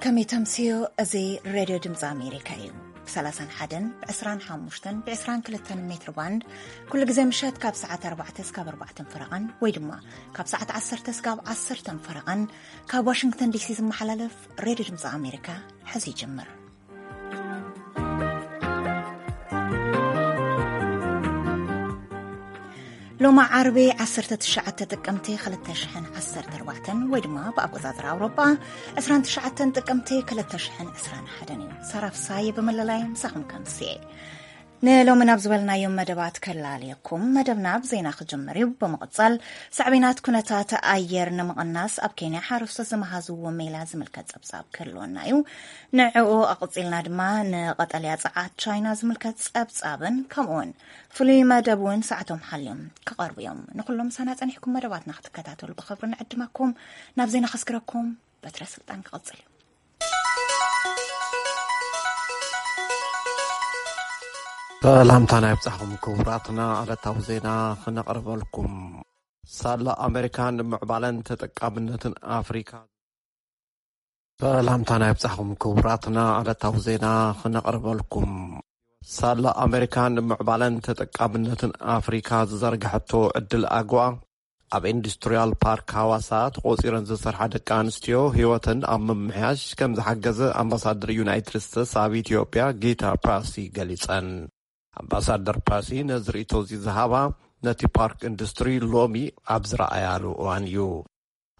ከመይ ተምስዮ? እዚ ሬድዮ ድምፂ ኣሜሪካ እዩ። ብ31 ብ25 ብ22 ሜትር ባንድ ኩሉ ግዜ ምሸት ካብ ሰዓት ኣርባዕተ እስካብ ኣርባዕተን ፈረቓን ወይ ድማ ካብ ሰዓት ዓሰርተ እስካብ ዓሰርተን ፈረቓን ካብ ዋሽንግተን ዲሲ ዝመሓላለፍ ሬድዮ ድምፂ ኣሜሪካ ሕዚ ይጅምር። ሎማ ዓርቢ ዓሰርተ ትሽዓተ ጥቅምቲ ክልተ ሽሕን ዓሰርተ ኣርባዕተን ወይ ድማ ብኣቆጻጽራ ኣውሮጳ ዕስራን ትሽዓተን ጥቅምቲ ክልተ ሽሕን ዕስራን ሓደን እዩ። ሳራ ፍሳየ ብመለላይ ምሳኹም ከምስየ። ንሎሚ ናብ ዝበልናዮም መደባት ከላልየኩም። መደብና ብዜና ክጅምር እዩ። ብምቕጻል ሳዕቤናት ኩነታት ኣየር ንምቕናስ ኣብ ኬንያ ሓረስቶት ዝመሃዝዎ ሜላ ዝምልከት ጸብጻብ ክህልወና እዩ። ንዕኡ ኣቕጺልና ድማ ንቐጠልያ ጸዓት ቻይና ዝምልከት ጸብጻብን ከምኡውን ፍሉይ መደብ እውን ሰዓቶም ሓልዮም ክቐርቡ እዮም። ንኹሎም ምሳና ጸኒሕኩም መደባትና ክትከታተሉ ብኽብሪ ንዕድመኩም። ናብ ዜና ከስግረኩም በትረ ስልጣን ክቐጽል እዩ። ሰላምታና ይብጻሕኩም ክቡራትና፣ ዕለታዊ ዜና ክነቕርበልኩም። ሳላ ኣሜሪካን ምዕባለን ተጠቃምነትን ኣፍሪካ። ሰላምታና ይብጻሕኩም ክቡራትና፣ ዕለታዊ ዜና ክነቕርበልኩም። ሳላ ኣሜሪካን ምዕባለን ተጠቃምነትን ኣፍሪካ ዝዘርግሐቶ ዕድል ኣግዋ ኣብ ኢንዱስትሪያል ፓርክ ሃዋሳ ተቖጺረን ዝሰርሓ ደቂ ኣንስትዮ ህይወተን ኣብ ምምሕያሽ ከም ዝሓገዘ ኣምባሳደር ዩናይትድ ስቴትስ ኣብ ኢትዮጵያ ጊታ ፓሲ ገሊጸን። ኣምባሳደር ፓሲ ነዚ ርእይቶ እዚ ዝሃባ ነቲ ፓርክ ኢንዱስትሪ ሎሚ ኣብ ዝረኣያሉ እዋን እዩ።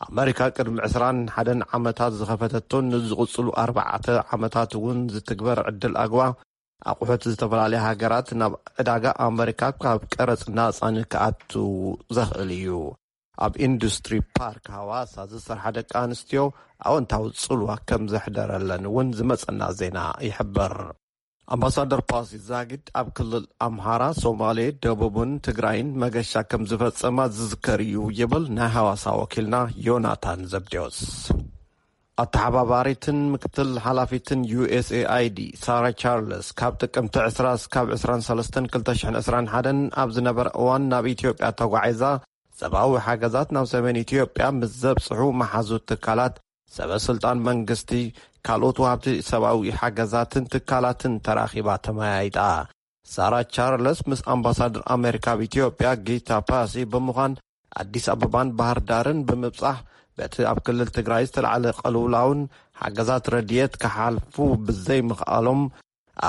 ኣመሪካ ቅድሚ ዕስራን ሓደን ዓመታት ዝኸፈተቶን ንዝቕጽሉ ኣርባዕተ ዓመታት እውን ዝትግበር ዕድል ኣግዋ ኣቑሑት ዝተፈላለያ ሃገራት ናብ ዕዳጋ ኣመሪካ ካብ ቀረጽ ናጻ ንክኣቱ ዘኽእል እዩ። ኣብ ኢንዱስትሪ ፓርክ ሃዋሳ ዝሰርሓ ደቂ ኣንስትዮ ኣወንታዊ ጽልዋ ከም ዘሕደረለን እውን ዝመጸና ዜና ይሕብር። ኣምባሳደር ፓሲ ዛጊድ ኣብ ክልል ኣምሃራ፣ ሶማሌ፣ ደቡብን ትግራይን መገሻ ከም ዝፈጸማ ዝዝከር እዩ ይብል ናይ ሃዋሳ ወኪልና ዮናታን ዘብዴዎስ። ኣተሓባባሪትን ምክትል ሓላፊትን ዩ ኤስ ኤ ኣይ ዲ ሳራ ቻርለስ ካብ ጥቅምቲ ዕስራ እስካብ ዕስራን ሰለስተን ክልተ ሽሕን ዕስራን ሓደን ኣብ ዝነበረ እዋን ናብ ኢትዮጵያ ተጓዒዛ ሰብኣዊ ሓገዛት ናብ ሰሜን ኢትዮጵያ ምስ ዘብጽሑ መሓዙት ትካላት፣ ሰበ ስልጣን መንግስቲ፣ ካልኦት ወሃብቲ ሰብኣዊ ሓገዛትን ትካላትን ተራኺባ ተመያይጣ። ሳራ ቻርለስ ምስ ኣምባሳደር ኣሜሪካ ኣብ ኢትዮጵያ ጊታ ፓሲ ብምዃን ኣዲስ ኣበባን ባህር ዳርን ብምብጻሕ በቲ ኣብ ክልል ትግራይ ዝተላዕለ ቅልውላውን ሓገዛት ረድኤት ክሓልፉ ብዘይምኽኣሎም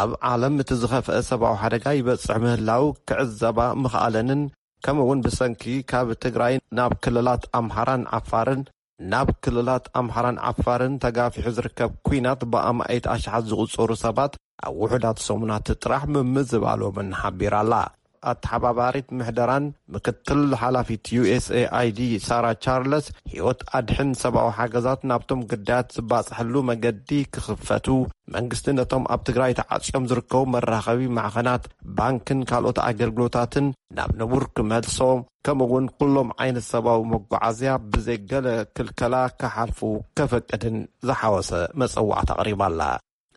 ኣብ ዓለም እቲ ዝኸፍአ ሰብኣዊ ሓደጋ ይበጽሕ ምህላው ክዕዘባ ምኽኣለንን ከምኡ እውን ብሰንኪ ካብ ትግራይ ናብ ክልላት ኣምሓራን ዓፋርን ናብ ክልላት ኣምሓራን ዓፋርን ተጋፊሑ ዝርከብ ኲናት ብኣማኢት ኣሽሓት ዝቑጸሩ ሰባት ኣብ ውሑዳት ሰሙናት ጥራሕ ምምዝባሎምን ሓቢራ ኣላ። ኣተሓባባሪት ምሕደራን ምክትል ሓላፊት ዩ ኤስ ኤ ኣይ ዲ ሳራ ቻርለስ፣ ህይወት ኣድሕን ሰብኣዊ ሓገዛት ናብቶም ግዳያት ዝባጽሐሉ መገዲ ክኽፈቱ፣ መንግስቲ ነቶም ኣብ ትግራይ ተዓጽዮም ዝርከቡ መራኸቢ ማዕኸናት፣ ባንክን ካልኦት ኣገልግሎታትን ናብ ንቡር ክመልሶ፣ ከምኡ እውን ኩሎም ዓይነት ሰብኣዊ መጓዓዝያ ብዘይ ገለ ክልከላ ክሓልፉ ከፈቅድን ዝሓወሰ መጸዋዕታ ኣቕሪባ ኣላ።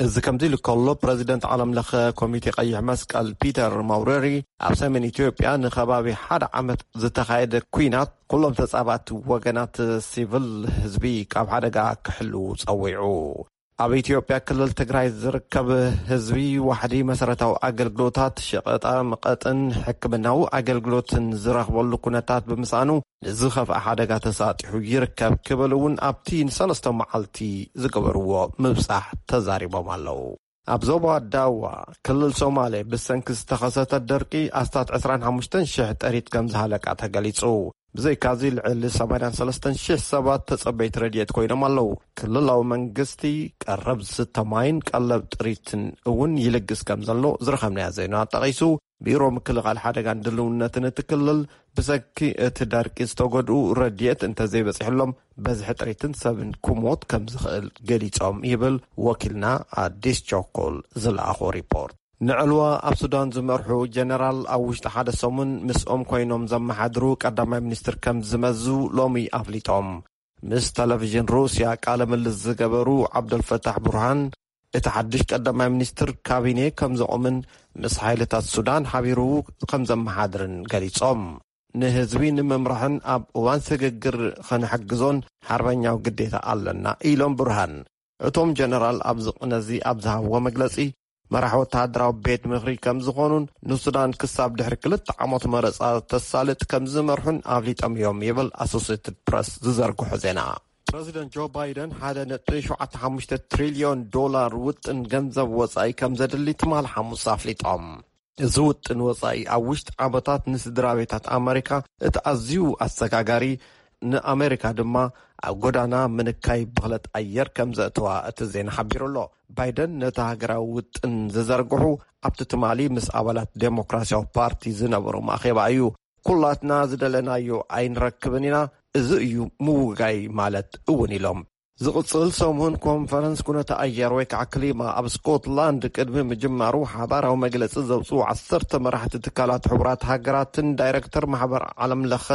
እዚ ከምዚ ኢሉ ከሎ፣ ፕረዚደንት ዓለም ለኸ ኮሚቴ ቀይሕ መስቀል ፒተር ማውሬሪ ኣብ ሰሜን ኢትዮጵያ ንከባቢ ሓደ ዓመት ዝተኻየደ ኲናት ኩሎም ተጻባእቲ ወገናት ሲቪል ህዝቢ ካብ ሓደጋ ክሕልዉ ጸዊዑ። ኣብ ኢትዮጵያ ክልል ትግራይ ዝርከብ ህዝቢ ዋሕዲ መሰረታዊ ኣገልግሎታት፣ ሸቐጣ መቐጥን ሕክምናዊ ኣገልግሎትን ዝረኽበሉ ኩነታት ብምስኣኑ ንዝኸፍኣ ሓደጋ ተሳጢሑ ይርከብ ክብል እውን ኣብቲ ንሰለስተ መዓልቲ ዝገበርዎ ምብጻሕ ተዛሪቦም ኣለዉ። ኣብ ዞባ ዳዋ ክልል ሶማሌ ብሰንኪ ዝተኸሰተ ደርቂ ኣስታት ዕስራን ሓሙሽተን ሽሕ ጥሪት ከም ዝሃለቃ ተገሊጹ። ብዘይካዚ ልዕሊ ሰማንያን ሰለስተን ሽሕ ሰባት ተጸበይቲ ረድኤት ኮይኖም ኣለዉ። ክልላዊ መንግስቲ ቀረብ ዝስተ ማይን ቀለብ ጥሪትን እውን ይልግስ ከም ዘሎ ዝረኸብናዮ ዜና ጠቒሱ፣ ቢሮ ምክልኻል ሓደጋን ድልውነትን እቲ ክልል ብሰንኪ እቲ ደርቂ ዝተጎድኡ ረድኤት እንተዘይበጺሕሎም በዝሒ ጥሪትን ሰብን ክሞት ከም ዝኽእል ገሊጾም ይብል ወኪልና ኣዲስ ቸኮል ዝለኣኾ ሪፖርት። ንዕልዋ ኣብ ሱዳን ዝመርሑ ጀነራል ኣብ ውሽጢ ሓደ ሰሙን ምስኦም ኮይኖም ዘመሓድሩ ቀዳማይ ሚኒስትር ከም ዝመዙ ሎሚ ኣፍሊጦም። ምስ ቴሌቪዥን ሩስያ ቃለ ምልልስ ዝገበሩ ዓብደልፈታሕ ቡርሃን፣ እቲ ሓድሽ ቀዳማይ ሚኒስትር ካቢኔ ከም ዘቑምን ምስ ሓይልታት ሱዳን ሓቢሩ ከም ዘመሓድርን ገሊጾም። ንህዝቢ ንምምራሕን ኣብ እዋን ስግግር ኽንሕግዞን ሓርበኛዊ ግዴታ ኣለና ኢሎም ቡርሃን። እቶም ጀነራል ኣብዚ ቅነዚ ኣብ ዝሃብዎ መግለጺ፣ መራሕ ወተሃደራዊ ቤት ምኽሪ ከም ዝኾኑን ንሱዳን ክሳብ ድሕሪ ክልተ ዓመት መረጻ ተሳልጥ ከም ዝመርሑን ኣፍሊጦም እዮም ይብል ኣሶሴትድ ፕረስ ዝዘርግሖ ዜና። ፕረዚደንት ጆ ባይደን ሓደ ነጥቢ ሸውዓተ ሓሙሽተ ትሪልዮን ዶላር ውጥን ገንዘብ ወጻኢ ከም ዘድሊ ትማል ሓሙስ ኣፍሊጦም። እዚ ውጥን ወጻኢ ኣብ ውሽጢ ዓመታት ንስድራ ቤታት ኣመሪካ እቲ ኣዝዩ ኣሰጋጋሪ፣ ንኣመሪካ ድማ ኣብ ጎዳና ምንካይ ብኽለት ኣየር ከም ዘእተዋ እቲ ዜና ሓቢሩ ኣሎ። ባይደን ነቲ ሃገራዊ ውጥን ዝዘርግሑ ኣብቲ ትማሊ ምስ ኣባላት ዴሞክራሲያዊ ፓርቲ ዝነበሮም ኣኼባ እዩ። "ኩላትና ዝደለናዮ ኣይንረክብን ኢና፣ እዚ እዩ ምውጋይ ማለት እውን" ኢሎም። ዝቕጽል ሰሙን ኮንፈረንስ ኩነተ ኣየር ወይ ከዓ ክሊማ ኣብ ስኮትላንድ ቅድሚ ምጅማሩ ሓባራዊ መግለጺ ዘውፅኡ ዓሰርተ መራሕቲ ትካላት ሕቡራት ሃገራትን ዳይሬክተር ማሕበር ዓለም ለኸ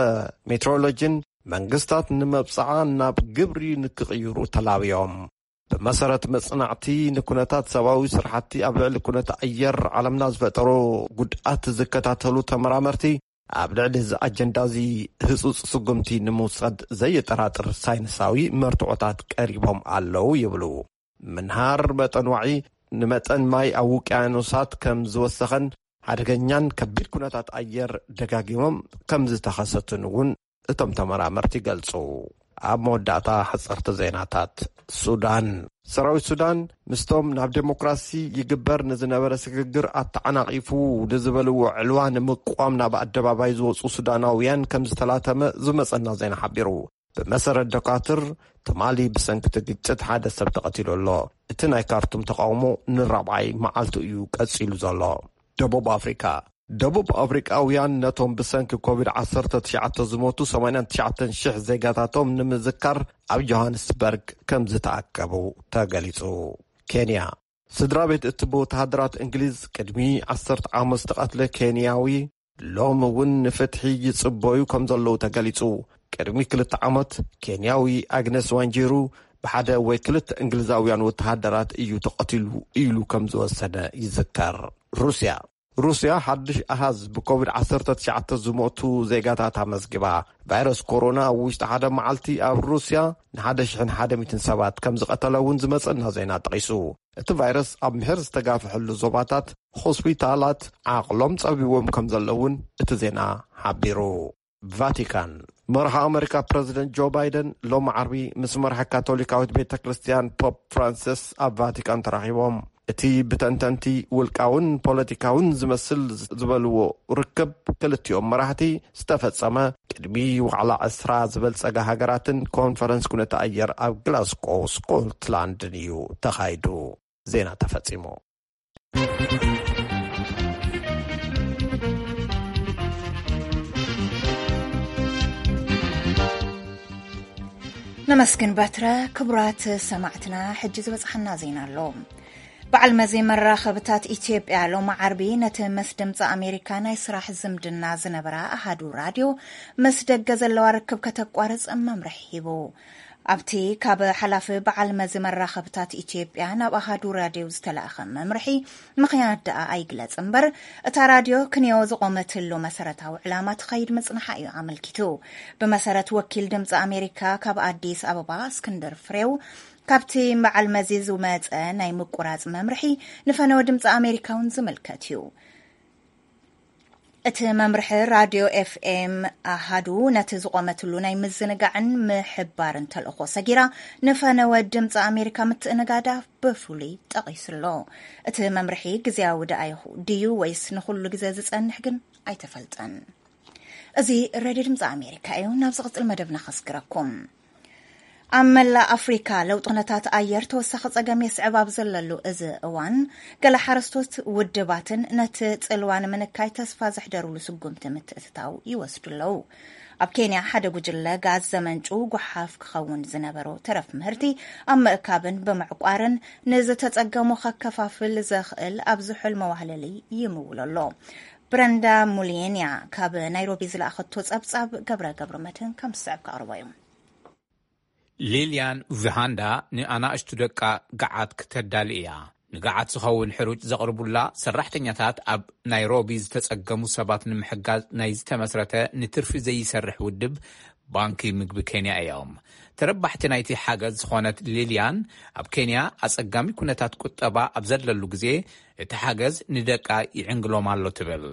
ሜትሮሎጂን መንግስታት ንመብጽዓ ናብ ግብሪ ንክቕይሩ ተላብዮም። ብመሰረት መጽናዕቲ ንኩነታት ሰብኣዊ ስራሕቲ ኣብ ልዕሊ ኩነተ ኣየር ዓለምና ዝፈጠሮ ጉድኣት ዝከታተሉ ተመራመርቲ፣ ኣብ ልዕሊ እዚ ኣጀንዳ እዚ ህጹጽ ስጉምቲ ንምውሳድ ዘየጠራጥር ሳይንሳዊ መርትዖታት ቀሪቦም ኣለዉ ይብሉ። ምንሃር መጠን ዋዒ ንመጠን ማይ ኣብ ውቅያኖሳት ከም ዝወሰኸን ሓደገኛን ከቢድ ኩነታት ኣየር ደጋጊሞም ከም ዝተኸሰቱን እውን እቶም ተመራመርቲ ይገልጹ። ኣብ መወዳእታ፣ ሕጽርቲ ዜናታት። ሱዳን። ሰራዊት ሱዳን ምስቶም ናብ ዴሞክራሲ ይግበር ንዝነበረ ስግግር ኣተዓናቒፉ ንዝበልዎ ዕልዋ ንምቋም ናብ ኣደባባይ ዝወጹ ሱዳናውያን ከም ዝተላተመ ዝመጸና ዜና ሓቢሩ። ብመሰረት ደኳትር፣ ትማሊ ብሰንኪ እቲ ግጭት ሓደ ሰብ ተቐቲሉ ኣሎ። እቲ ናይ ካርቱም ተቃውሞ ንራብዓይ መዓልቱ እዩ ቀጺሉ ዘሎ። ደቡብ ኣፍሪካ። ደቡብ ኣፍሪቃውያን ነቶም ብሰንኪ ኮቪድ ዓሰርተ ትሽዓተ ዝሞቱ ሰማንያን ትሽዓተን ሽሕ ዜጋታቶም ንምዝካር ኣብ ጆሃንስበርግ ከም ዝተኣከቡ ተገሊጹ። ኬንያ። ስድራ ቤት እቲ ብወተሃደራት እንግሊዝ ቅድሚ ዓሰርተ ዓመት ዝተቐትለ ኬንያዊ ሎም እውን ንፍትሒ ይጽበዩ ከም ዘለዉ ተገሊጹ። ቅድሚ ክልተ ዓመት ኬንያዊ ኣግነስ ዋንጂሩ ብሓደ ወይ ክልተ እንግሊዛውያን ወተሃደራት እዩ ተቐቲሉ ኢሉ ከም ዝወሰነ ይዝከር። ሩስያ። ሩስያ ሓድሽ ኣሃዝ ብኮቪድ ዓሰርተ ትሽዓተ ዝሞቱ ዜጋታት ኣመዝጊባ። ቫይረስ ኮሮና ኣብ ውሽጢ ሓደ መዓልቲ ኣብ ሩስያ ንሓደ ሽሕን ሓደ ሚእትን ሰባት ከም ዝቐተለ እውን ዝመጸና ዜና ጠቒሱ። እቲ ቫይረስ ኣብ ምሕር ዝተጋፍሐሉ ዞባታት ሆስፒታላት ዓቕሎም ጸቢዎም ከም ዘለውን እቲ ዜና ሓቢሩ። ቫቲካን። መራሒ ኣመሪካ ፕረዚደንት ጆ ባይደን ሎሚ ዓርቢ ምስ መራሒ ካቶሊካዊት ቤተ ክርስቲያን ፖፕ ፍራንሲስ ኣብ ቫቲካን ተራኺቦም። እቲ ብተንተንቲ ውልቃውን ፖለቲካውን ዝመስል ዝበልዎ ርክብ ክልቲኦም መራሕቲ ዝተፈጸመ ቅድሚ ዋዕላ ዕስራ ዝበልጸጋ ሃገራትን ኮንፈረንስ ኩነተ ኣየር ኣብ ግላስኮ ስኮትላንድን እዩ ተኻይዱ። ዜና ተፈጺሙ። ነመስግን በትረ። ክቡራት ሰማዕትና፣ ሕጂ ዝበጽሓና ዜና ኣሎ። በዓል መዚ መራኸብታት ኢትዮጵያ ሎሚ ዓርቢ ነቲ ምስ ድምፂ ኣሜሪካ ናይ ስራሕ ዝምድና ዝነበራ ኣሃዱ ራድዮ ምስ ደገ ዘለዋ ርክብ ከተቋርጽ መምርሒ ሂቡ። ኣብቲ ካብ ሓላፊ በዓል መዚ መራኸብታት ኢትዮጵያ ናብ ኣሃዱ ራድዮ ዝተላእኸ መምርሒ ምኽንያት ደኣ ኣይግለጽ እምበር፣ እታ ራድዮ ክንዮ ዝቖመትሉ መሰረታዊ ዕላማ ትኸይድ ምጽንሓ እዩ ኣመልኪቱ። ብመሰረት ወኪል ድምፂ ኣሜሪካ ካብ ኣዲስ ኣበባ እስክንድር ፍሬው፣ ካብቲ በዓል መዚ ዝመጸ ናይ ምቁራጽ መምርሒ ንፈነወ ድምፂ ኣሜሪካ እውን ዝምልከት እዩ። እቲ መምርሒ ራድዮ ኤፍኤም ኣሃዱ ነቲ ዝቖመትሉ ናይ ምዝንጋዕን ምሕባርን ተልእኾ ሰጊራ ንፈነወ ድምፂ ኣሜሪካ ምትእንጋዳ ብፍሉይ ጠቒሱ ኣሎ። እቲ መምርሒ ግዜያዊ ደኣ ይኹ-፣ ድዩ ወይስ ንኹሉ ግዜ ዝጸንሕ ግን ኣይተፈልጠን። እዚ ሬድዮ ድምፂ ኣሜሪካ እዩ። ናብ ዝቕጽል መደብና ከስግረኩም። ኣብ መላእ ኣፍሪካ ለውጢ ኩነታት ኣየር ተወሳኺ ጸገም የስዕብ ኣብ ዘለሉ እዚ እዋን፣ ገለ ሓረስቶት ውድባትን ነቲ ጽልዋ ንምንካይ ተስፋ ዘሕደሩሉ ስጉምቲ ምትእትታው ይወስዱ ኣለዉ። ኣብ ኬንያ ሓደ ጉጅለ ጋዝ ዘመንጩ ጓሓፍ ክኸውን ዝነበሮ ተረፍ ምህርቲ ኣብ ምእካብን ብምዕቋርን ንዝተጸገሙ ከከፋፍል ዘኽእል ኣብ ዝሑል መዋህለሊ ይምውል ኣሎ። ብረንዳ ሙሊየንያ ካብ ናይሮቢ ዝለኣኸቶ ጸብጻብ ገብረ ገብረ መድህን ከም ዝስዕብ ከቕርቦ እዩ። ሊልያን ቪሃንዳ ንኣናእሽቱ ደቃ ገዓት ክተዳሊ እያ። ንግዓት ዝኸውን ሕሩጭ ዘቕርቡላ ሰራሕተኛታት ኣብ ናይሮቢ ዝተጸገሙ ሰባት ንምሕጋዝ ናይ ዝተመስረተ ንትርፊ ዘይሰርሕ ውድብ ባንኪ ምግቢ ኬንያ እዮም። ተረባሕቲ ናይቲ ሓገዝ ዝኾነት ሊልያን፣ ኣብ ኬንያ ኣጸጋሚ ኩነታት ቁጠባ ኣብ ዘለሉ ግዜ እቲ ሓገዝ ንደቃ ይዕንግሎም ኣሎ ትብል።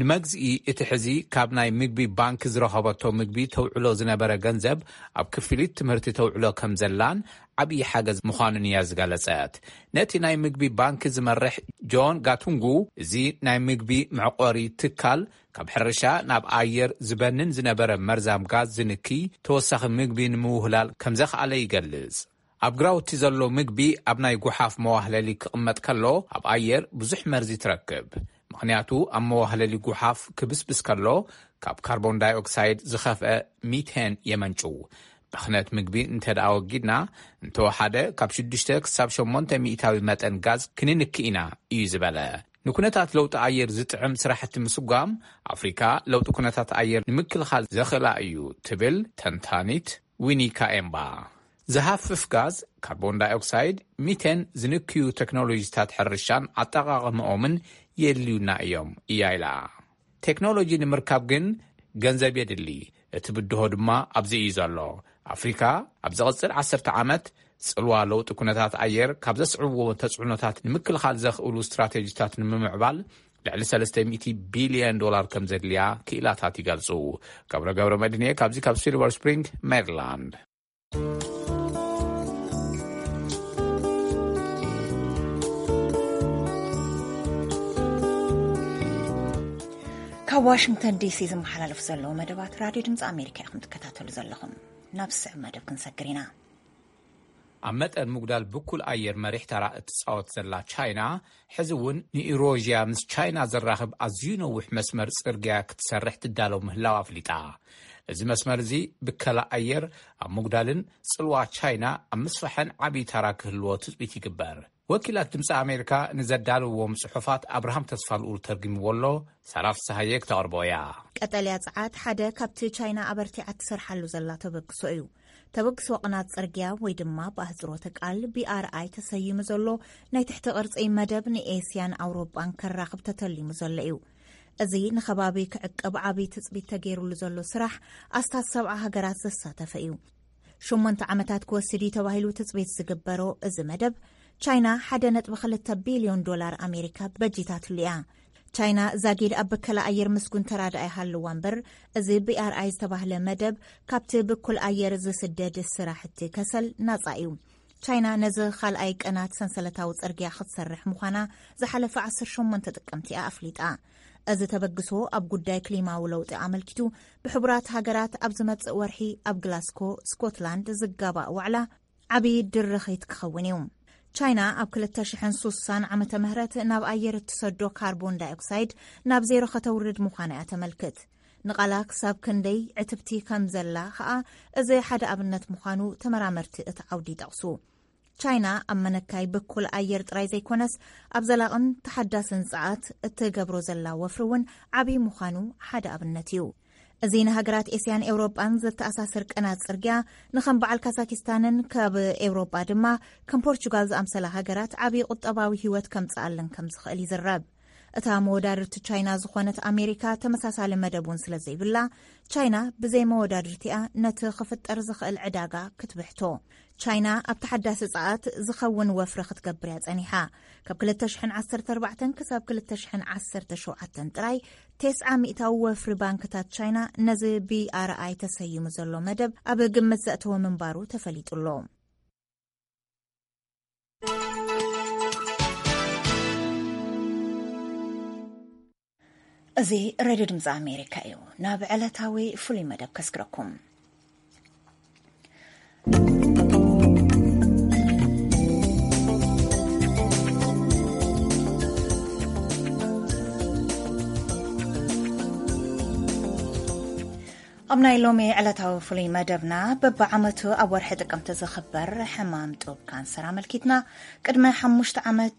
ንመግዝኢ እቲ ሕዚ ካብ ናይ ምግቢ ባንክ ዝረኸበቶ ምግቢ ተውዕሎ ዝነበረ ገንዘብ ኣብ ክፍሊት ትምህርቲ ተውዕሎ ከም ዘላን ዓብዪ ሓገዝ ምዃኑን እያ ዝገለጸት። ነቲ ናይ ምግቢ ባንክ ዝመርሕ ጆን ጋቱንጉ፣ እዚ ናይ ምግቢ መዕቆሪ ትካል ካብ ሕርሻ ናብ ኣየር ዝበንን ዝነበረ መርዛም ጋዝ ዝንኪ ተወሳኺ ምግቢ ንምውህላል ከም ዘኽኣለ ይገልጽ። ኣብ ግራውቲ ዘሎ ምግቢ ኣብ ናይ ጉሓፍ መዋህለሊ ክቕመጥ ከሎ ኣብ ኣየር ብዙሕ መርዚ ትረክብ። ምኽንያቱ ኣብ መዋህለሊ ጉሓፍ ክብስብስ ከሎ ካብ ካርቦን ዳይኦክሳይድ ዝኸፍአ ሚቴን የመንጩ። ብኽነት ምግቢ እንተ ደኣ ወጊድና፣ እንተወሓደ ካብ ሽዱሽተ ክሳብ ሸሞንተ ሚእታዊ መጠን ጋዝ ክንንኪ ኢና፣ እዩ ዝበለ። ንኩነታት ለውጢ ኣየር ዝጥዕም ስራሕቲ ምስጓም ኣፍሪካ ለውጢ ኩነታት ኣየር ንምክልኻል ዘኽእላ እዩ ትብል ተንታኒት ዊኒ ካኤምባ። ዝሃፍፍ ጋዝ፣ ካርቦን ዳይኦክሳይድ፣ ሚቴን ዝንክዩ ቴክኖሎጂታት ሕርሻን ኣጠቓቕምኦምን የድልዩና እዮም እያ ኢላ። ቴክኖሎጂ ንምርካብ ግን ገንዘብ የድሊ። እቲ ብድሆ ድማ ኣብዚ እዩ ዘሎ። ኣፍሪካ ኣብ ዝቕጽል ዓሰርተ ዓመት ጽልዋ ለውጢ ኩነታት ኣየር ካብ ዘስዕብዎ ተጽዕኖታት ንምክልኻል ዘኽእሉ ስትራቴጂታት ንምምዕባል ልዕሊ ሰለስተ ሚእቲ ቢልዮን ዶላር ከም ዘድልያ ክኢላታት ይገልጹ። ገብረ ገብረ መድህንየ ካብዚ ካብ ሲልቨር ስፕሪንግ ሜሪላንድ። ካብ ዋሽንግተን ዲሲ ዝመሓላለፍ ዘለዉ መደባት ራድዮ ድምፂ ኣሜሪካ ኢኹም ትከታተሉ ዘለኹም። ናብ ዝስዕብ መደብ ክንሰግር ኢና። ኣብ መጠን ምጉዳል ብኩል ኣየር መሪሕ ተራ እትፃወት ዘላ ቻይና፣ ሕዚ እውን ንኢሮዥያ ምስ ቻይና ዘራኽብ ኣዝዩ ነዊሕ መስመር ጽርግያ ክትሰርሕ ትዳለው ምህላው ኣፍሊጣ። እዚ መስመር እዚ ብከላ ኣየር ኣብ ምጉዳልን ጽልዋ ቻይና ኣብ ምስፋሕን ዓብዪ ተራ ክህልዎ ትጽቢት ይግበር። ወኪላት ድምፂ ኣሜሪካ ንዘዳለውዎም ጽሑፋት ኣብርሃም ተስፋልኡል ተርጉምዎ ኣሎ። ሳራ ፍስሃየ ክተቕርቦ እያ። ቀጠልያ ጸዓት ሓደ ካብቲ ቻይና ኣበርቲዓ ትሰርሓሉ ዘላ ተበግሶ እዩ። ተበግሶ ቅናት ጽርግያ ወይ ድማ ብኣህጽሮተ ቃል ቢኣርኣይ ተሰይሙ ዘሎ ናይ ትሕቲ ቅርጺ መደብ ንኤስያን ኣውሮጳን ከራኽብ ተተሊሙ ዘሎ እዩ። እዚ ንኸባቢ ክዕቅብ ዓቢ ትጽቢት ተገይሩሉ ዘሎ ስራሕ ኣስታት ሰብዓ ሃገራት ዘሳተፈ እዩ። ሸሞንተ ዓመታት ክወስድ እዩ ተባሂሉ ትጽቢት ዝግበሮ እዚ መደብ፣ ቻይና ሓደ ነጥቢ ክልተ ቢልዮን ዶላር ኣሜሪካ በጂታትሉ እያ። ቻይና ዛጊድ ኣብ በከላ ኣየር ምስጉን ተራድኣ ይሃልዋ እምበር፣ እዚ ቢኣርኣይ ዝተባህለ መደብ ካብቲ ብኩል ኣየር ዝስደድ ስራሕቲ ከሰል ናጻ እዩ። ቻይና ነዚ ካልኣይ ቅናት ሰንሰለታዊ ጽርግያ ክትሰርሕ ምዃና ዝሓለፈ ዓሰርተ ሸሞንተ ጥቅምቲ እያ ኣፍሊጣ። እዚ ተበግሶ ኣብ ጉዳይ ክሊማዊ ለውጢ ኣመልኪቱ ብሕቡራት ሃገራት ኣብ ዝመጽእ ወርሒ ኣብ ግላስኮ ስኮትላንድ ዝጋባእ ዋዕላ ዓብዪ ድርኺት ክኸውን እዩ። ቻይና ኣብ ክልተ ሽሕን ሱሳን ዓመተ ምህረት ናብ ኣየር እትሰዶ ካርቦን ዳይኦክሳይድ ናብ ዜሮ ከተውርድ ምዃና እያ ተመልክት። ንቓላ ክሳብ ክንደይ ዕትብቲ ከም ዘላ ከኣ እዚ ሓደ ኣብነት ምዃኑ ተመራመርቲ እቲ ዓውዲ ይጠቕሱ። ቻይና ኣብ መነካይ ብኩል ኣየር ጥራይ ዘይኮነስ ኣብ ዘላቕን ተሓዳስን ጸዓት እትገብሮ ዘላ ወፍሪ እውን ዓብዪ ምዃኑ ሓደ ኣብነት እዩ። እዚ ንሃገራት ኤስያን ኤውሮጳን ዘተኣሳስር ቅናት ጽርግያ ንኸም በዓል ካዛኪስታንን ካብ ኤውሮጳ ድማ ከም ፖርቹጋል ዝኣምሰላ ሃገራት ዓብዪ ቁጠባዊ ህይወት ከምጽኣለን ከም ዝኽእል ይዝረብ። እታ መወዳድርቲ ቻይና ዝኾነት ኣሜሪካ ተመሳሳሊ መደብ እውን ስለ ዘይብላ፣ ቻይና ብዘይ መወዳድርቲኣ ነቲ ክፍጠር ዝኽእል ዕዳጋ ክትብሕቶ። ቻይና ኣብ ተሓዳሲ ጸዓት ዝኸውን ወፍሪ ክትገብር እያ ጸኒሓ። ካብ ክልተ ሽሕን ዓሰርተ ኣርባዕተን ክሳብ ክልተ ሽሕን ዓሰርተ ሸውዓተን ጥራይ፣ ተስዓ ሚእታዊ ወፍሪ ባንክታት ቻይና ነዚ ቢኣርኣይ ተሰይሙ ዘሎ መደብ ኣብ ግምት ዘእተወ ምንባሩ ተፈሊጡ ኣሎ። እዚ ሬድዮ ድምፂ ኣሜሪካ እዩ። ናብ ዕለታዊ ፍሉይ መደብ ከስግረኩም። ኣብ ናይ ሎሚ ዕለታዊ ፍሉይ መደብና፣ በብዓመቱ ኣብ ወርሒ ጥቅምቲ ዝኽበር ሕማም ጡብ ካንሰር ኣመልኪትና፣ ቅድሚ ሓሙሽተ ዓመት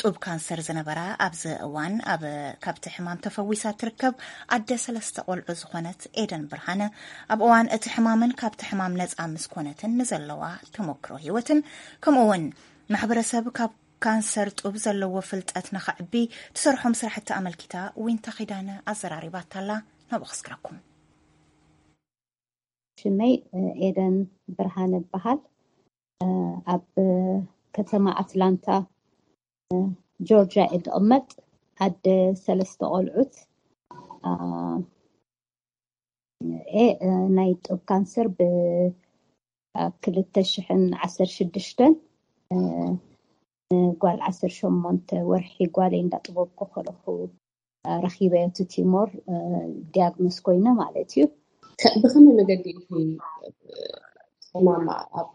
ጡብ ካንሰር ዝነበራ፣ ኣብዚ እዋን ኣብ ካብቲ ሕማም ተፈዊሳ ትርከብ ኣደ ሰለስተ ቆልዑ ዝኾነት ኤደን ብርሃነ፣ ኣብ እዋን እቲ ሕማምን ካብቲ ሕማም ነጻ ምስ ኮነትን ንዘለዋ ተሞክሮ ህይወትን፣ ከምኡ እውን ማሕበረሰብ ካብ ካንሰር ጡብ ዘለዎ ፍልጠት ንኸዕቢ ትሰርሖም ስራሕቲ ኣመልኪታ ዊንታ ኺዳነ ኣዘራሪባታላ። ናብኡ ክስግረኩም። ሽመይ ኤደን ብርሃን እበሃል። ኣብ ከተማ ኣትላንታ ጆርጅያ እየ ዝቕመጥ። ኣደ ሰለስተ ቆልዑት እ ናይ ጡብ ካንሰር ብ ክልተ ሽሕን ዓሰርተ ሽዱሽተን ጓል ዓሰርተ ሸሞንተ ወርሒ ጓለይ እንዳጥበብኩ ከለኹ ረኺበዮ እቲ ቲሞር ዲያግኖስ ኮይነ ማለት እዩ። ብኸመይ መገዲ ሕማም ኣብ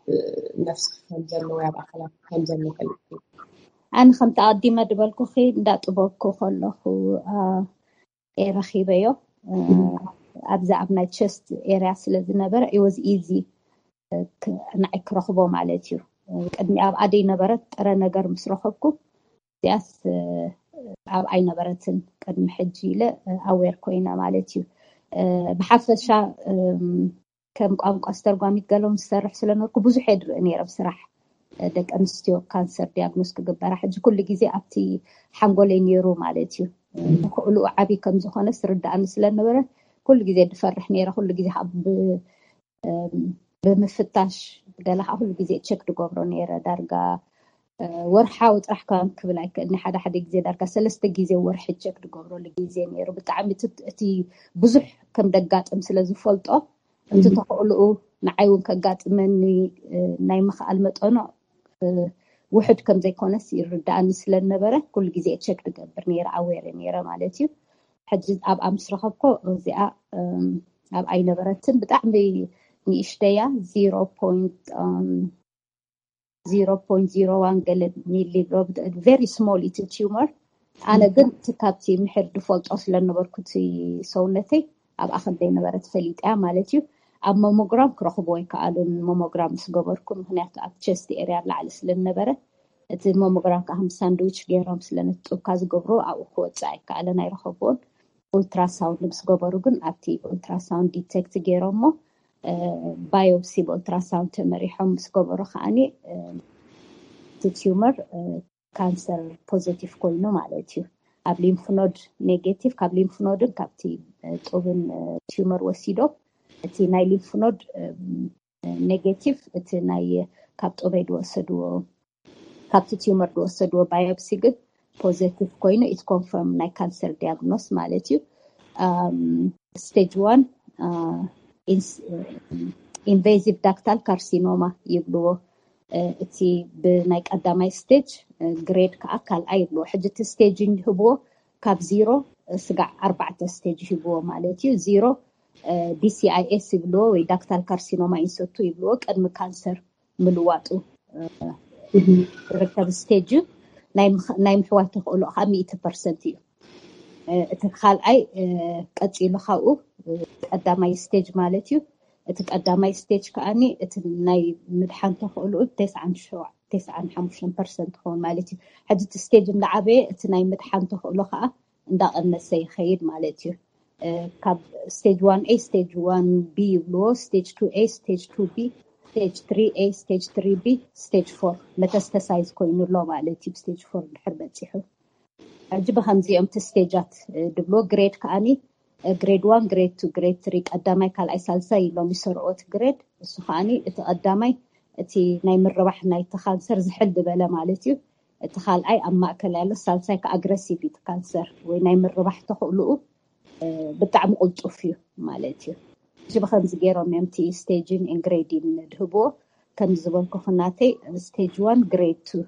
ነፍሲ ከም ዘሎ ወይ ኣብ ኣካላት ከም ዘሎ ፈሊጥኪ? ኣነ ከምቲ ኣቐዲመ ዝበልኩኺ እንዳጥበብኩ ከለኹ እየ ረኺበዮ። ኣብዚ ኣብ ናይ ቸስት ኤርያ ስለ ዝነበረ it was easy ንዓይ ክረኽቦ ማለት እዩ። ቅድሚ ኣብ ኣደይ ነበረት ጥረ ነገር ምስ ረኸብኩ እዚኣስ ኣብ ኣይነበረትን ቅድሚ ሕጂ ኢለ ኣዌር ኮይነ ማለት እዩ። ብሓፈሻ ከም ቋንቋ ኣስተርጓሚት ገሎም ዝሰርሕ ስለነበርኩ ብዙሕ እየ ዝርኢ ነይረ ብስራሕ ደቂ ኣንስትዮ ካንሰር ዲያግኖስ ክግበራ። ሕጂ ኩሉ ግዜ ኣብቲ ሓንጎለይ ነይሩ ማለት እዩ። ተኽእልኡ ዓብዪ ከም ዝኾነ ስርዳእኒ ስለነበረ ኩሉ ግዜ ዝፈርሕ ነይረ። ኩሉ ግዜ ካብ ብምፍታሽ ገለ ከዓ ኩሉ ግዜ ቸክ ዝገብሮ ነይረ። ዳርጋ ወርሓዊ ጥራሕ ከም ክብል ኣይክእልኒ፣ ሓደ ሓደ ግዜ ዳርጋ ሰለስተ ግዜ ወርሒ ቸክ ዝገብረሉ ግዜ ነይሩ። ብጣዕሚ እቲ ብዙሕ ከም ደጋጥም ስለ ዝፈልጦ እቲ ተኽእልኡ ንዓይ እውን ከጋጥመኒ ናይ ምኽኣል መጠኑ ውሕድ ከም ዘይኮነስ ይርዳእኒ ስለ ዝነበረ ኩሉ ግዜ ቸክ ዝገብር ነይረ፣ ኣዌር ነይረ ማለት እዩ። ሕጂ ኣብኣ ምስ ረኸብኮ እዚኣ ኣብ ኣይነበረትን ብጣዕሚ ንእሽተያ ዜሮ ፖይንት ዜሮ ፖይንት ዜሮ ዋን ገለ ሚሊ ቨሪ ስሞል እቲ ቲዩመር። ኣነ ግን እቲ ካብቲ ምሕር ዝፈልጦ ስለነበርኩ እቲ ሰውነተይ ኣብኣ ከም ዘይነበረት ፈሊጠያ ማለት እዩ። ኣብ ሞሞግራም ክረኽቦ ኣይከኣሉን ሞሞግራም ምስ ገበርኩ፣ ምክንያቱ ኣብ ቸስት ኤርያ ላዕሊ ስለዝነበረ እቲ ሞሞግራም ከዓ ከም ሳንድዊች ገይሮም ስለነጥብካ ዝገብሮ ኣብኡ ክወፅእ ኣይከኣለን፣ ኣይረኸብዎን። ኡልትራሳውንድ ምስ ገበሩ ግን ኣብቲ ኡልትራሳውንድ ዲቴክት ገይሮሞ ባዮፕሲ ብኡልትራሳውንድ ተመሪሖም ምስ ገበሩ ከዓኒ እቲ ቲዩመር ካንሰር ፖዘቲቭ ኮይኑ ማለት እዩ። ኣብ ሊምፍኖድ ኔጌቲቭ፣ ካብ ሊምፍኖድን ካብቲ ጡብን ቲዩመር ወሲዶ እቲ ናይ ሊምፍኖድ ኔጌቲቭ እቲ ናይ ካብ ጡበይ ዝወሰድዎ ካብቲ ቲዩመር ዝወሰድዎ ባዮፕሲ ግን ፖዘቲቭ ኮይኑ ኢት ኮንፈርም ናይ ካንሰር ዲያግኖስ ማለት እዩ። ስቴጅ ዋን ኢንቬዚቭ ዳክታል ካርሲኖማ ይብልዎ። እቲ ብናይ ቀዳማይ ስቴጅ ግሬድ ከዓ ካልኣይ ይብልዎ። ሕጂ እቲ ስቴጅ ይህብዎ ካብ ዚሮ ስጋዕ ኣርባዕተ ስቴጅ ይህብዎ ማለት እዩ። ዚሮ ዲሲኣይኤስ ይብልዎ ወይ ዳክታል ካርሲኖማ ኢንሰቱ ይብልዎ። ቅድሚ ካንሰር ምልዋጡ ዝርከብ ስቴጅ እዩ። ናይ ምሕዋይ ተኽእሎ ከዓ ሚእቲ ፐርሰንት እዩ። እቲ ካልኣይ ቀፂሉ ካብኡ ቀዳማይ ስቴጅ ማለት እዩ። እቲ ቀዳማይ ስቴጅ ከዓኒ እቲ ናይ ምድሓን ተኽእሎ ተስዓን ሓሙሽተን ፐርሰንት ክኸውን ማለት እዩ። ሕጂ እቲ ስቴጅ እንዳዓበየ እቲ ናይ ምድሓን ተኽእሎ ከዓ እንዳቐነሰ ይኸይድ ማለት እዩ። ካብ ስቴጅ ዋን ኤ ስቴጅ ዋን ቢ ይብልዎ፣ ስቴጅ ቱ ኤ ስቴጅ ቱ ቢ፣ ስቴጅ ትሪ ኤ ስቴጅ ትሪ ቢ፣ ስቴጅ ፎር መተስተሳይዝ ኮይኑ ኣሎ ማለት እዩ። ስቴጅ ፎር ድሕር በፂሑ ሕጂ ብከምዚኦም እቲ ስቴጃት ድብሎ ግሬድ ከዓኒ ግሬድ ዋን ግሬድ ቱ ግሬድ ትሪ ቀዳማይ ካልኣይ ሳልሳይ ኢሎም ይሰርኦት ግሬድ። እሱ ከዓኒ እቲ ቀዳማይ እቲ ናይ ምርባሕ ናይቲ ካንሰር ዝሕል ዝበለ ማለት እዩ። እቲ ካልኣይ ኣብ ማእከል ያለ፣ ሳልሳይ ከ ኣግረሲቭ እቲ ካንሰር ወይ ናይ ምርባሕ ተኽእልኡ ብጣዕሚ ቁልጡፍ እዩ ማለት እዩ። እዚ ብከምዚ ገይሮም እዮም እቲ ስቴጅን ግሬድን ድህብዎ። ከምዚ ዝበልኩ ክናተይ ስቴጅ ዋን ግሬድ ቱ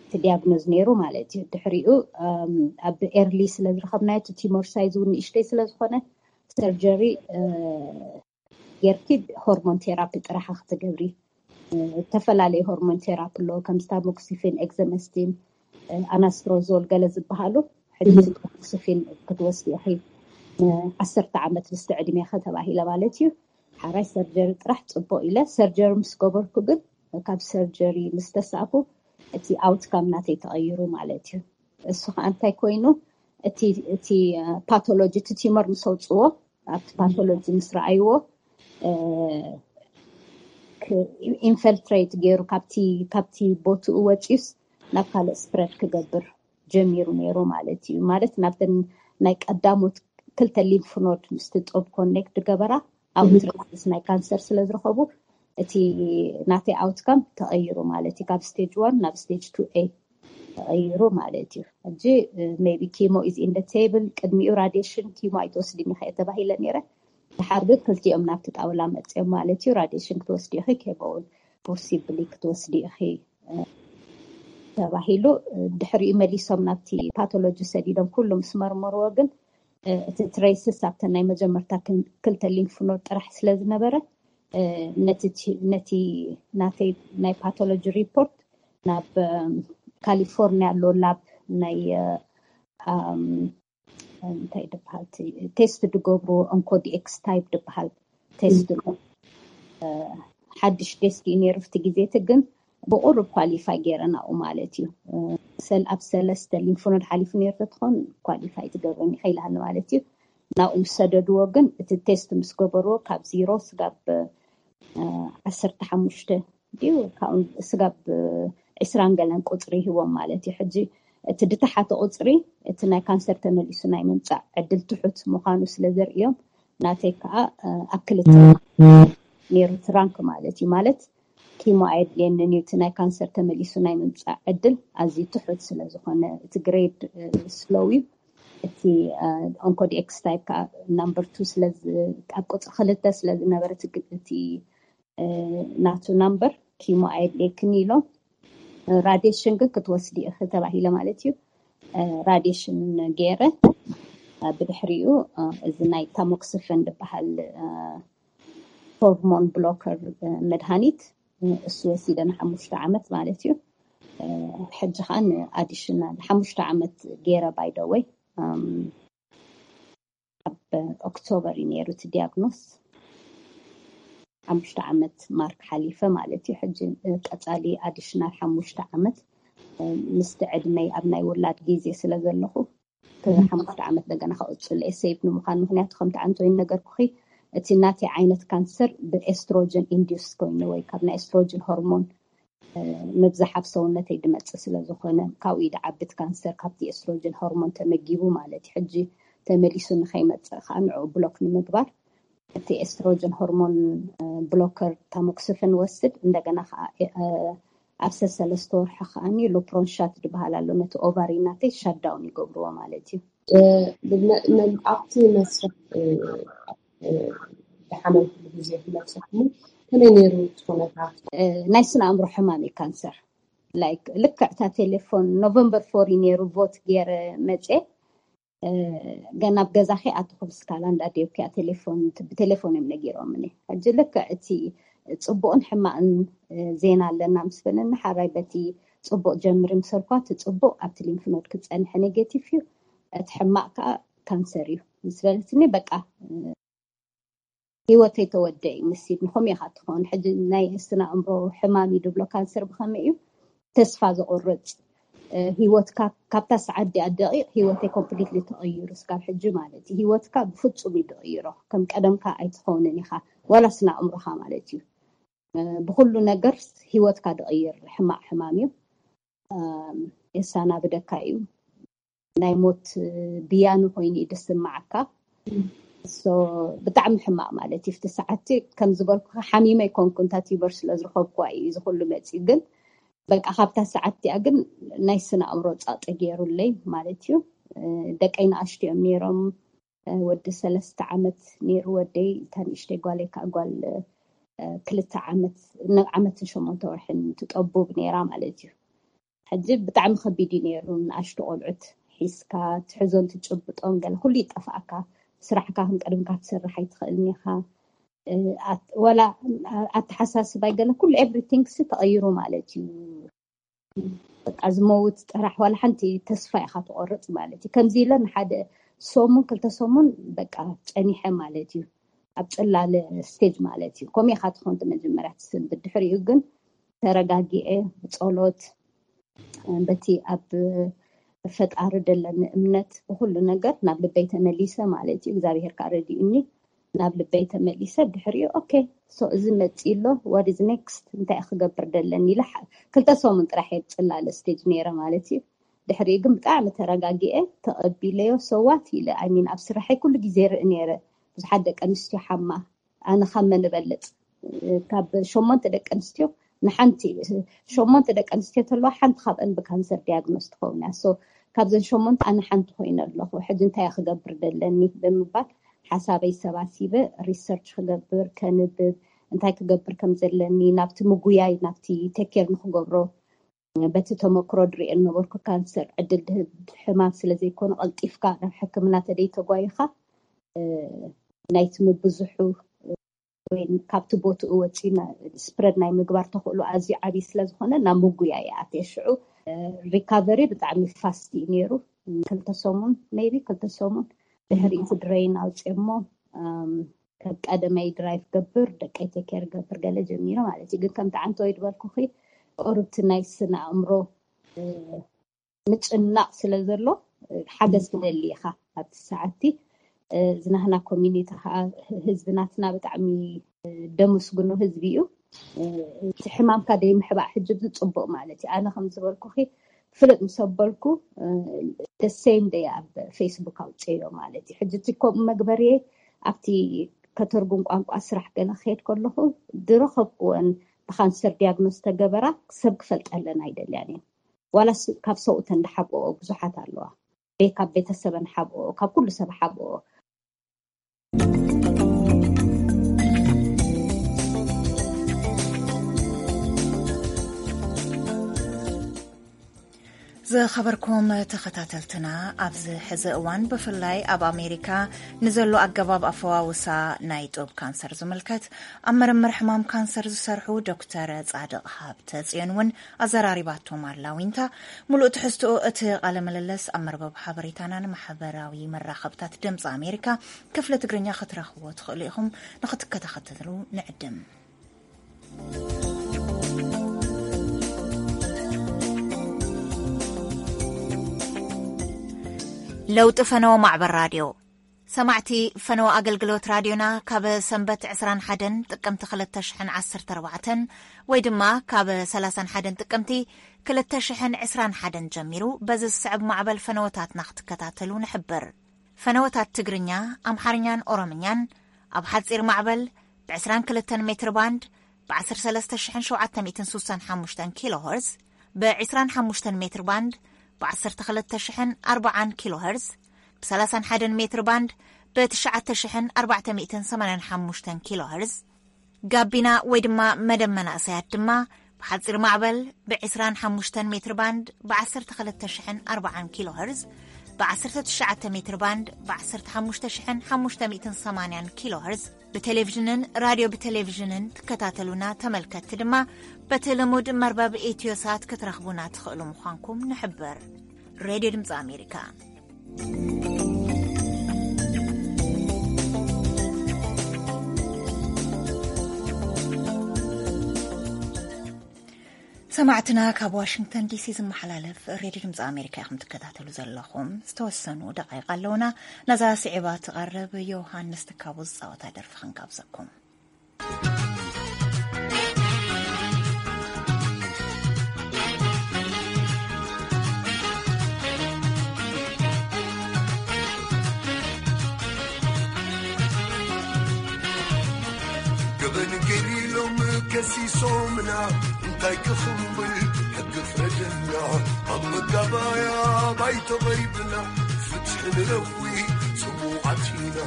እቲ ዲያግኖዝ ነይሩ ማለት እዩ። ድሕሪኡ ኣብ ኤርሊ ስለ ዝረኸብናዮ እቲ ቲሞር ሳይዝ እውን ንእሽተይ ስለ ዝኾነ ሰርጀሪ ጌርኪ ሆርሞን ቴራፒ ጥራሓ ክትገብሪ። ዝተፈላለዩ ሆርሞን ቴራፒ ኣለዎ፣ ከም ስታሞክሲፊን፣ ኤግዘመስቲን፣ ኣናስትሮዞል ገለ ዝበሃሉ። ሕጂ ስታሞክሲፊን ክትወስዲ ኢኺ ዓሰርተ ዓመት ምስ ዕድሜ ከተባሂለ ማለት እዩ። ሓራይ ሰርጀሪ ጥራሕ ፅቡቅ ኢለ ሰርጀሪ ምስ ገበርኩ ግን ካብ ሰርጀሪ ምስ ተሳእኩ እቲ ኣውትካም ናተይ ተቐይሩ ማለት እዩ። እሱ ከዓ እንታይ ኮይኑ እቲ ፓቶሎጂ እቲ ቲመር ምስ ኣውፅዎ ኣብቲ ፓቶሎጂ ምስ ረኣይዎ ኢንፈልትሬት ገይሩ ካብቲ ቦትኡ ወፂዩስ ናብ ካልእ ስፕረድ ክገብር ጀሚሩ ነይሩ ማለት እዩ። ማለት ናብተን ናይ ቀዳሞት ክልተ ሊምፍ ኖድ ምስቲ ጡብ ኮኔክት ገበራ ኣውትሬትስ ናይ ካንሰር ስለ ዝረኸቡ እቲ ናተይ ኣውትካም ተቐይሩ ማለት እዩ። ካብ ስቴጅ ዋን ናብ ስቴጅ ቱ ኤ ተቐይሩ ማለት እዩ። ሕጂ ሜቢ ኪሞ ኢዝ ኢን ቴብል፣ ቅድሚኡ ራዲሽን ኪሞ ኣይትወስድን ኢኸ ተባሂለ ነይረ። ድሓር ግን ክልቲኦም ናብቲ ጣውላ መፅኦም ማለት እዩ። ራዲሽን ክትወስዲ ኢኺ፣ ኬሞውን ፖሲብሊ ክትወስዲ ኢኺ ተባሂሉ። ድሕሪኡ መሊሶም ናብቲ ፓቶሎጂ ሰዲዶም ኩሉ ምስ መርመርዎ ግን እቲ ትሬስስ ኣብተን ናይ መጀመርታ ክልተ ሊምፍ ኖድ ጥራሕ ስለ ዝነበረ ነቲ ናተይ ናይ ፓቶሎጂ ሪፖርት ናብ ካሊፎርኒያ ኣሎ ላብ ናይ እንታይ ድበሃል ቴስት ድገብሩ ኦንኮዲኤክስ ታይፕ ድበሃል ቴስት ሓድሽ ቴስት እዩ ነይሩ። ፍቲ ግዜ እቲ ግን ብቁሩብ ኳሊፋይ ገይረ ናብኡ ማለት እዩ። ኣብ ሰለስተ ሊምፍ ኖድ ሓሊፉ ነይሩ ተትኾን ኳሊፋይ ትገብረኒ ከይልሃኒ ማለት እዩ። ናብኡ ምስ ሰደድዎ ግን እቲ ቴስት ምስ ገበርዎ ካብ ዜሮ ስጋብ ዓሰርተ ሓሙሽተ ድዩ ካብኡ ስጋብ ዕስራን ገለን ቁፅሪ ይህቦም ማለት እዩ። ሕጂ እቲ ድተሓተ ቁፅሪ እቲ ናይ ካንሰር ተመሊሱ ናይ ምምፃእ ዕድል ትሑት ምዃኑ ስለ ዘርእዮም ናተይ ከዓ ኣብ ክልተ ነይሩ ትራንክ ማለት እዩ። ማለት ኪሞ ኣየድልየንን እዩ፣ እቲ ናይ ካንሰር ተመሊሱ ናይ ምምፃእ ዕድል ኣዝዩ ትሑት ስለ ዝኾነ እቲ ግሬድ ስሎው እዩ። እቲ ኦንኮዲኤክስ ታይፕ ከዓ ናምበር ቱ ስለ ኣብ ቁፅሪ ክልተ ስለ ዝነበረ እቲ ናቱ ናምበር ኪሞ ኣየድልየክን ኢሎም ራዲሽን ግን ክትወስዲ ኢኺ ተባሂለ ማለት እዩ። ራዲሽን ገይረ ብድሕሪኡ እዚ ናይ ታሞክስፈን ዝበሃል ሆርሞን ብሎከር መድሃኒት እሱ ወሲደ ንሓሙሽተ ዓመት ማለት እዩ። ሕጂ ከዓ ንኣዲሽናል ሓሙሽተ ዓመት ገይረ ባይደወይ ኣብ ኦክቶበር እዩ ነይሩ እቲ ዲያግኖስ። ሓሙሽተ ዓመት ማርክ ሓሊፈ ማለት እዩ። ሕጂ ቀፃሊ ኣዲሽናል ሓሙሽተ ዓመት ምስቲ ዕድመይ ኣብ ናይ ውላድ ግዜ ስለ ዘለኹ ሓሙሽተ ዓመት ደገና ከቕፅል እየ ሴፍ ንምዃን። ምክንያቱ ከምቲ ዓንቶይን ነገርኩኺ እቲ ናተይ ዓይነት ካንሰር ብኤስትሮጅን ኢንዲስ ኮይኑ ወይ ካብ ናይ ኤስትሮጅን ሆርሞን ምብዛሕ ኣብ ሰውነተይ ድመፅእ ስለ ዝኾነ ካብኡ ኢደ ዓብት ካንሰር ካብቲ ኤስትሮጅን ሆርሞን ተመጊቡ ማለት እዩ። ሕጂ ተመሊሱ ንኸይመፅእ ከዓ ንዕኡ ብሎክ ንምግባር እቲ ኤስትሮጅን ሆርሞን ብሎከር ታሞክስፍን ወስድ እንደገና ከዓ ኣብ ሰሰለስተ ወርሒ ከዓኒ ሉፕሮንሻት ዝበሃል ኣሎ። ነቲ ኦቫሪ ናተይ ሻዳውን ይገብርዎ ማለት እዩ። ኣብቲ መስርሕ ዝሓመምኩሉ ግዜ ክመልሰኩም ከመይ ነይሩ እቲ ኩነታት? ናይ ስነ ኣእምሮ ሕማም እዩ ካንሰር። ላይክ ልክዕ እታ ቴሌፎን ኖቨምበር ፎር እዩ ነይሩ ቮት ገይረ መፅየ ገና ኣብ ገዛ ከይኣተኹ ብስካላንድ ኣደይ ኦኬ ቴሌፎን ብቴሌፎን እዮም ነጊሮምኒ። ሕጂ ልክዕ እቲ ፅቡቕን ሕማቕን ዜና ኣለና ምስ በለኒ ሓራይ በቲ ፅቡቕ ጀምሪ ምስ በልኳ እቲ ፅቡቕ ኣብቲ ሊምፍ ኖድ ክፀንሐ ኔጌቲቭ እዩ፣ እቲ ሕማቕ ከዓ ካንሰር እዩ ምስ በለትኒ በቃ ህይወተይ ተወደ እዩ። ምስ ሲድኒ ከምኡ ኢኻ ትኸውን። ሕጂ ናይ ስነ ኣእምሮ ሕማም እዩ ድብሎ ካንሰር ብኸመይ እዩ ተስፋ ዘቑርፅ ህይወትካ ካብታ ሰዓት ዲኣ ደቂቕ ህይወተይ ኮምፕሊትሊ ተቐይሩ ስካብ ሕጂ ማለት እዩ። ህይወትካ ብፍፁም እዩ ድቕይሮ። ከም ቀደምካ ኣይትኸውንን ኢኻ ዋላ ስነ ኣእምሮኻ ማለት እዩ። ብኩሉ ነገር ህይወትካ ድቕይር ሕማቕ ሕማም እዩ። የሳናብደካ እዩ። ናይ ሞት ብያኒ ኮይኑ እዩ ድስማዓካ። ብጣዕሚ ሕማቕ ማለት እዩ። ፍቲ ሰዓትቲ ከም ዝበልኩ ሓሚመ ኣይኮንኩ እንታ ቲበር ስለ ዝረኸብኩዋ እዩ እዚ ኩሉ መፂ። ግን በቃ ካብታ ሰዓት እቲኣ ግን ናይ ስነ ኣእምሮ ፃጠ ገይሩለይ ማለት እዩ። ደቀይ ንኣሽቱ እዮም ነይሮም። ወዲ ሰለስተ ዓመት ነይሩ ወደይ፣ እታ ንእሽተይ ጓለይ ከዓ ጓል ክልተ ዓመት ዓመትን ሸሞንተ ወርሕን ትጠቡብ ነይራ ማለት እዩ። ሕጂ ብጣዕሚ ከቢድ እዩ ነይሩ። ንኣሽቱ ቆልዑት ሒዝካ ትሕዞን ትጭብጦን ገለ ኩሉ ይጠፍኣካ። ስራሕካ ከም ቀደምካ ትሰርሕ ኣይትኽእልን ኢኻ። ዋላ ኣተሓሳስባይ ገለ ኩሉ ኤቭሪቲንግ ሲ ተቐይሩ ማለት እዩ። በቃ ዝመውት ጥራሕ ዋላ ሓንቲ ተስፋ ኢኻ ትቆርፅ ማለት እዩ። ከምዚ ኢለ ንሓደ ሰሙን ክልተ ሰሙን በቃ ፀኒሐ ማለት እዩ። ኣብ ፅላለ ስቴጅ ማለት እዩ። ከምኡ ኢኻ ትኾን መጀመርያ ትስንብድ። ድሕሪኡ ግን ተረጋጊኤ ብፀሎት በቲ ኣብ ፈጣሪ ደለኒ እምነት ብኩሉ ነገር ናብ ልበይ ተመሊሰ ማለት እዩ። እግዚኣብሄር ከዓ ረዲኡኒ ናብ ልበይ ተመሊሰ። ድሕሪኡ ኦኬ So እዚ መፂ ኣሎ፣ what is next? እንታይ ክገብር ደለኒ ኢለ ክልተ ሰሙን ጥራሕ እየ ፅላለ ስቴጅ ነይረ ማለት እዩ። ድሕሪኡ ግን ብጣዕሚ ተረጋጊኤ ተቐቢለዮ። ሰዋት ኢለ ኣይሚን ኣብ ስራሐይ ኩሉ ግዜ ርኢ ነይረ። ብዙሓት ደቂ ኣንስትዮ ሓማ፣ ኣነ ካብ መን እበልፅ? ካብ ሸሞንተ ደቂ ኣንስትዮ ንሓንቲ፣ ሸሞንተ ደቂ ኣንስትዮ ተለዋ ሓንቲ ካብአን ብካንሰር ዲያግኖስ ትኸውን እያ። So ካብዘን ሸሞንተ ኣነ ሓንቲ ኮይነ ኣለኹ። ሕጂ እንታይ ክገብር ደለኒ ብምባል ሓሳበይ ሰባሲበ ሪሰርች ክገብር፣ ከንብብ፣ እንታይ ክገብር ከም ዘለኒ፣ ናብቲ ምጉያይ፣ ናብቲ ቴኬር ንክገብሮ፣ በቲ ተመክሮ ድሪኦ ነበርኩ። ካንሰር ዕድል ድህብ ሕማም ስለ ዘይኮነ ቀልጢፍካ ናብ ሕክምና ተደይ ተጓይኻ ናይቲ ምብዝሑ ወይ ካብቲ ቦትኡ ወፂኡ ስፕረድ ናይ ምግባር ተኽእሎ ኣዝዩ ዓብዪ ስለ ዝኾነ ናብ ምጉያ ይኣትየ። ሽዑ ሪካቨሪ ብጣዕሚ ፋስት እዩ ነይሩ። ክልተ ሰሙን፣ ሜቢ ክልተ ሰሙን ድሕሪ እቲ ድረይን ኣውፅኦሞ ከም ቀደመይ ድራይቭ ገብር፣ ደቀይ ቴኬር ገብር ገለ ጀሚሩ ማለት እዩ። ግን ከምቲ ዓንተወይ ዝበልኩኺ ቁርብቲ ናይ ስነ ኣእምሮ ምጭናቕ ስለ ዘሎ ሓገዝ ክደሊ ኢኻ። ኣብቲ ሰዓቲ ዝናህና ኮሚኒቲ ከዓ ህዝቢ ናትና ብጣዕሚ ደመስግኖ ህዝቢ እዩ። እቲ ሕማምካ ደይምሕባእ ሕጂ ብዝፅቡቕ ማለት እዩ። ኣነ ከም ዝበልኩኺ ፍልጥ ምስ ኣበልኩ ደሴም ደይ ኣብ ፌስቡክ ኣውፅዮ ማለት እዩ። ሕጂ እቲ ከምኡ መግበርየ ኣብቲ ከተርጉም ቋንቋ ስራሕ ገለ ክሄድ ከለኹ ድረኸብኩወን ብካንሰር ዲያግኖስ ተገበራ ሰብ ክፈልጠለን ኣይደልያን እየን። ዋላስ ካብ ሰብኡተን ዝሓብኦ ብዙሓት ኣለዋ። ቤ ካብ ቤተሰበን ሓብኦ፣ ካብ ኩሉ ሰብ ሓብኦ። ዝኸበርኩም ተኸታተልትና፣ ኣብዚ ሕዚ እዋን ብፍላይ ኣብ ኣሜሪካ ንዘሎ ኣገባብ ኣፈዋውሳ ናይ ጡብ ካንሰር ዝምልከት ኣብ ምርምር ሕማም ካንሰር ዝሰርሑ ዶክተር ጻድቕ ሃብተ ጽዮን እውን ኣዘራሪባቶም ኣላ። ዊንታ፣ ሙሉእ ትሕዝትኡ እቲ ቃለ ምልልስ ኣብ መርበብ ሓበሬታናን ማሕበራዊ መራኸብታት ድምፂ ኣሜሪካ ክፍሊ ትግርኛ ክትረኽብዎ ትኽእሉ ኢኹም። ንኽትከታተሉ ንዕድም። ለውጢ ፈነወ ማዕበል ራድዮ። ሰማዕቲ ፈነወ ኣገልግሎት ራድዮና፣ ካብ ሰንበት ዕስራን ሓደን ጥቅምቲ ክልተ ሽሕን ዓሰርተ ኣርባዕተን ወይ ድማ ካብ ሰላሳን ሓደን ጥቅምቲ ክልተ ሽሕን ዕስራን ሓደን ጀሚሩ በዚ ዝስዕብ ማዕበል ፈነወታትና ክትከታተሉ ንሕብር። ፈነወታት ትግርኛ፣ ኣምሓርኛን ኦሮምኛን ኣብ ሓጺር ማዕበል ብ ዕስራን ክልተን ሜትር ባንድ ብ ዓሰርተ ሰለስተ ሽሕን ሸውዓተ ሚእትን ሱሳን ሓሙሽተን ኪሎ ኸርዝ፣ ብ ዕስራን ሓሙሽተን ሜትር ባንድ ብ ዓሰርተ ክልተ ሽሕን ኣርባዓን ኪሎ ኸርዝ፣ ብ ሰላሳን ሓደን ሜትር ባንድ ብ ትሽዓተ ሽሕን ኣርባዕተ ሚእትን ሰማንያን ሓሙሽተን ኪሎ ኸርዝ፣ ጋቢና ወይ ድማ መደብ መናእሰያት ድማ ብሓጺር ማዕበል ብ ዕስራን ሓሙሽተን ሜትር ባንድ ብ ዓሰርተ ክልተ ሽሕን ኣርባዓን ኪሎ ኸርዝ፣ ብ ዓሰርተ ትሽዓተ ሜትር ባንድ ብ ዓሰርተ ሓሙሽተ ሽሕን ሓሙሽተ ሚእትን ሰማንያን ኪሎ ኸርዝ፣ ብቴሌቪዥንን ራድዮ ብቴሌቪዥንን ትከታተሉና ተመልከትቲ ድማ በቲ ልሙድ መርበብ ኢትዮሳት ክትረኽቡና ትኽእሉ ምዃንኩም ንሕብር። ሬድዮ ድምፂ ኣሜሪካ። ሰማዕትና፣ ካብ ዋሽንግተን ዲሲ ዝመሓላለፍ ሬድዮ ድምፂ ኣሜሪካ ኢኹም ትከታተሉ ዘለኹም። ዝተወሰኑ ደቃይቕ ኣለውና። ነዛ ስዒባ ትቐርብ ዮሃንስ ትካቡ ዝፃወታ ደርፊ ክንጋብዘኩም። ገበን ገይሩ ኢሎም ከሲሶምና፣ እንታይ ክኽንብል ሕጊ ፍረደና። ኣብ መጋባያ ባይቶ ቀሪብና፣ ፍትሒ ንረዊ ጽሙዓት ኢና።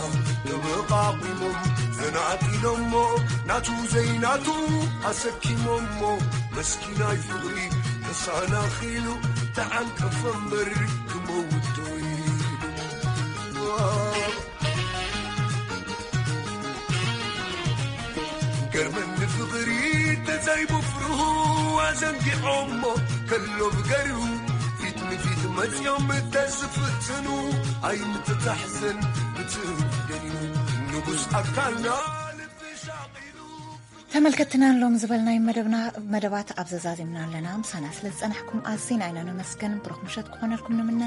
ተመቓቒሞም ዘናጢሎሞ፣ ናቱ ዘይናቱ ኣሰኪሞሞ፣ መስኪናይ ፍቕሪ ተሳናኺሉ፣ ተዓንቀፈ እምበር ክመውት ዶ ኢሉ። ገርመኒ ፍቕሪ ተዛይቡ ፍርሁ ኣዘንጊዖሞ፣ ከሎ ብገርሁ ፊት ንፊት መጽዮም ተዝፍትኑ፣ ኣይምትታሕዘን ብትደልዩ ንጉስ ኣካልና ልቢ ሻቒሉ። ተመልከትናን ሎም ዝበልናይ መደብና፣ መደባት ኣብ ዘዛዚምና ኣለና። ምሳና ስለ ዝጸናሕኩም ኣዝና ኢና ነመስግን። ብሩኽ ምሸት ክኾነልኩም ንምነ።